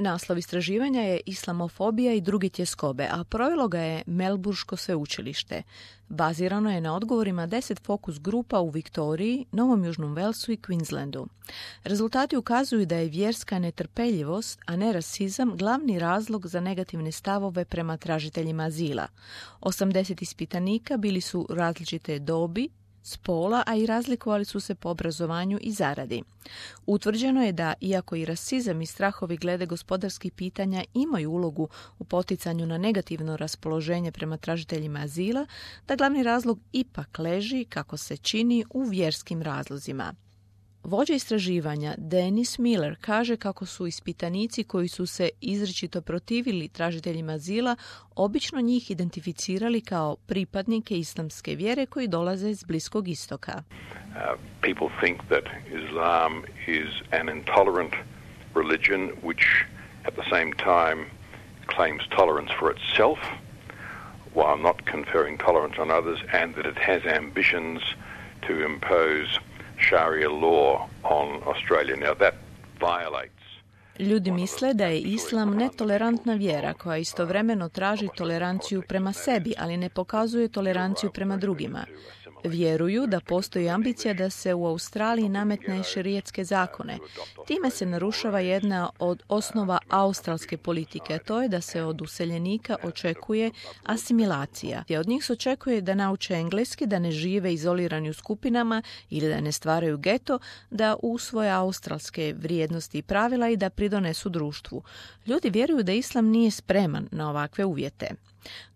Naslov istraživanja je Islamofobija i drugi tjeskobe, a provelo ga je Melburško sveučilište. Bazirano je na odgovorima 10 fokus grupa u Viktoriji, Novom Južnom Velsu i Queenslandu. Rezultati ukazuju da je vjerska netrpeljivost, a ne rasizam, glavni razlog za negativne stavove prema tražiteljima azila. 80 ispitanika bili su različite dobi, spola, a i razlikovali su se po obrazovanju i zaradi. Utvrđeno je da, iako i rasizam i strahovi glede gospodarskih pitanja imaju ulogu u poticanju na negativno raspoloženje prema tražiteljima azila, da glavni razlog ipak leži, kako se čini, u vjerskim razlozima. Vođa istraživanja Dennis Miller kaže kako su ispitanici koji su se izričito protivili tražiteljima azila obično njih identificirali kao pripadnike islamske vjere koji dolaze s Bliskog istoka. People think that Islam is an intolerant religion which at the same time claims tolerance for itself while not conferring tolerance on others, and that it has ambitions to impose Sharia law on Australia. Now that violates. Ljudi misle da je islam netolerantna vjera koja istovremeno traži toleranciju prema sebi, ali ne pokazuje toleranciju prema drugima. Vjeruju da postoji ambicija da se u Australiji nametne šerijetske zakone. Time se narušava jedna od osnova australske politike, a to je da se od useljenika očekuje asimilacija. Od njih se očekuje da nauče engleski, da ne žive izolirani u skupinama ili da ne stvaraju geto, da usvoje australske vrijednosti i pravila i da pridonesu društvu. Ljudi vjeruju da islam nije spreman na ovakve uvjete.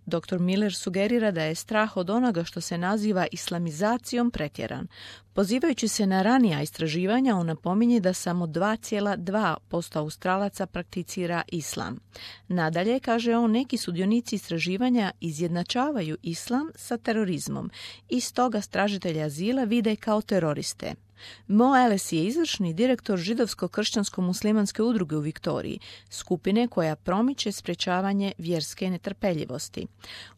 Dr. Miller sugerira da je strah od onoga što se naziva islamizacijom pretjeran. Pozivajući se na ranija istraživanja, on napominje da samo 2,2% Australaca prakticira islam. Nadalje, kaže on, neki sudionici istraživanja izjednačavaju islam sa terorizmom i stoga tražitelje azila vide kao teroriste. Mo Ellis je izvršni direktor židovsko-kršćansko-muslimanske udruge u Viktoriji, skupine koja promiče sprječavanje vjerske netrpeljivosti.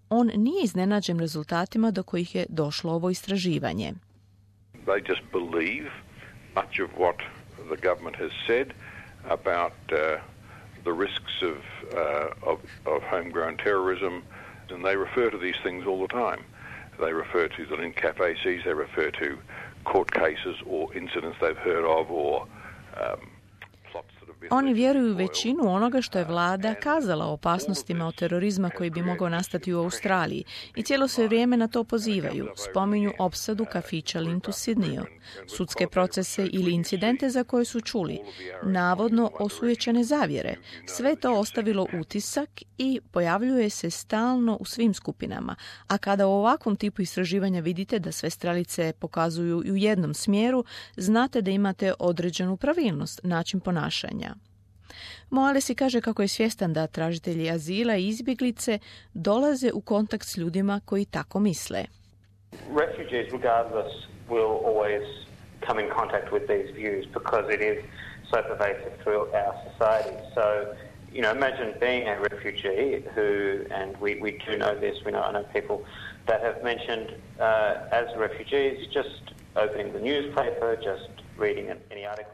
On nije iznenađen rezultatima do kojih je došlo ovo istraživanje. They just believe much of what the government has said about the risks of homegrown terrorism, and they refer to these things all the time. They refer to the link capaces, they refer to court cases or incidents they've heard of or plots that have been... Oni vjeruju većinu onoga što je vlada kazala o opasnostima od terorizma koji bi mogao nastati u Australiji i cijelo se vrijeme na to pozivaju. Spominju opsadu kafića Lindt u Sidneyu, sudske procese ili incidente za koje su čuli, navodno osujećene zavjere. Sve to ostavilo utisak i pojavljuje se stalno u svim skupinama. A kada u ovakvom tipu istraživanja vidite da sve strelice pokazuju u jednom smjeru, znate da imate određenu pravilnost, način ponašanja. Mo Ellis kaže kako je svjestan da tražitelji azila i izbjeglice dolaze u kontakt s ljudima koji tako misle. Refugees, regardless, will always come in contact with these views because it is so pervasive through our society. So, you know, imagine being a refugee who, and we do know this, I know people that have mentioned as refugees just opening the newspaper, just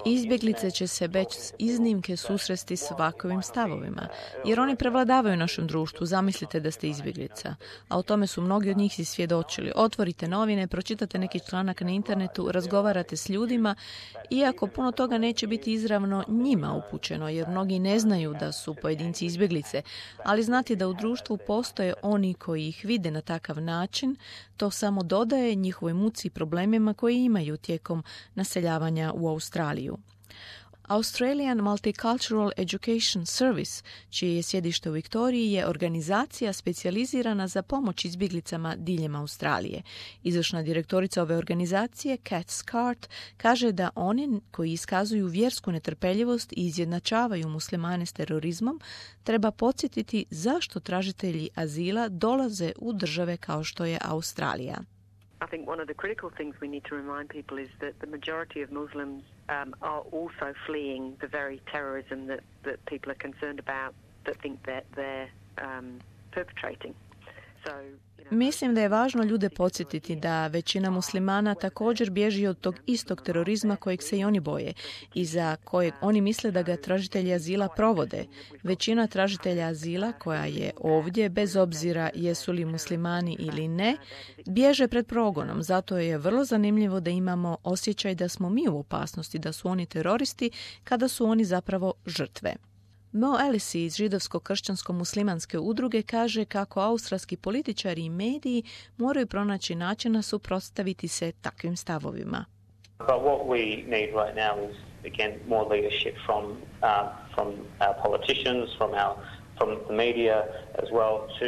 Izbjeglice će se bez iznimke susresti s ovakvim stavovima, jer oni prevladavaju u našem društvu. Zamislite da ste izbjeglica, a o tome su mnogi od njih si svjedočili. Otvorite novine, pročitate neki članak na internetu, razgovarate s ljudima, iako puno toga neće biti izravno njima upućeno, jer mnogi ne znaju da su pojedinci izbjeglice, ali znati da u društvu postoje oni koji ih vide na takav način, to samo dodaje njihovoj muci i problemima koji imaju tijekom naseljavanja u Australiju. Australian Multicultural Education Service, čije je sjedište u Viktoriji, je organizacija specijalizirana za pomoć izbjeglicama diljem Australije. Izvršna direktorica ove organizacije, Kat Scart, kaže da oni koji iskazuju vjersku netrpeljivost i izjednačavaju muslimane s terorizmom, treba podsjetiti zašto tražitelji azila dolaze u države kao što je Australija. I think one of the critical things we need to remind people is that the majority of Muslims are also fleeing the very terrorism that people are concerned about, that think that they're perpetrating. Mislim da je važno ljude podsjetiti da većina muslimana također bježi od tog istog terorizma kojeg se i oni boje i za kojeg oni misle da ga tražitelji azila provode. Većina tražitelja azila koja je ovdje, bez obzira jesu li muslimani ili ne, bježe pred progonom. Zato je vrlo zanimljivo da imamo osjećaj da smo mi u opasnosti, da su oni teroristi kada su oni zapravo žrtve. Mo Allisi iz židovsko-kršćansko-muslimanske udruge kaže kako australski političari i mediji moraju pronaći načina suprotstaviti se takvim stavovima. But what we need right now is again more leadership from our politicians, from the media as well to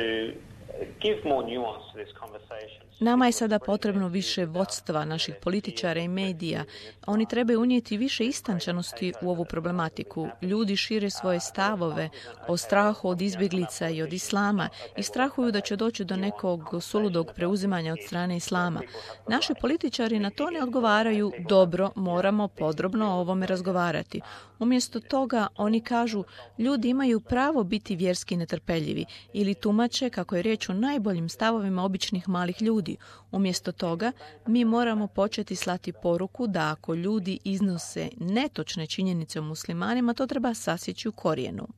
give more nuance to this conversation. Nama je sada potrebno više vodstva naših političara i medija. Oni trebaju unijeti više istančanosti u ovu problematiku. Ljudi šire svoje stavove o strahu od izbjeglica i od islama i strahuju da će doći do nekog suludog preuzimanja od strane islama. Naši političari na to ne odgovaraju dobro, moramo podrobno o ovome razgovarati. Umjesto toga oni kažu ljudi imaju pravo biti vjerski netrpeljivi ili tumače kako je riječ o najboljim stavovima običnih malih ljudi. Umjesto toga, mi moramo početi slati poruku da ako ljudi iznose netočne činjenice o muslimanima, to treba sasjeći u korijenu.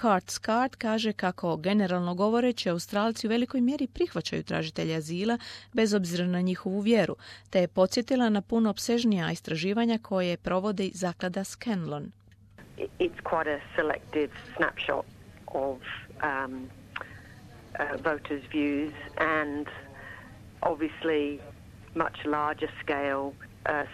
Cart Scott kaže kako, generalno govoreći, Australci u velikoj mjeri prihvaćaju tražitelje azila bez obzira na njihovu vjeru, te je podsjetila na puno opsežnija istraživanja koje provodi zaklada Scanlon. It's quite a selective snapshot of voters' views and obviously much larger scale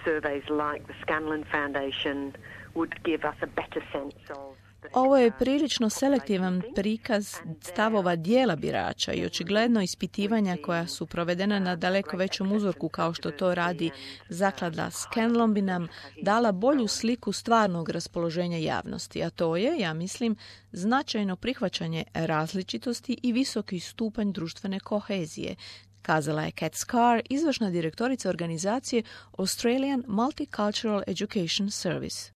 surveys like the Scanlon Foundation would give us a better sense of. Ovo je prilično selektivan prikaz stavova dijela birača i očigledno ispitivanja koja su provedena na daleko većem uzorku kao što to radi zaklada Scanlon bi nam dala bolju sliku stvarnog raspoloženja javnosti, a to je, ja mislim, značajno prihvaćanje različitosti i visoki stupanj društvene kohezije, kazala je Kat Scarr, izvršna direktorica organizacije Australian Multicultural Education Service.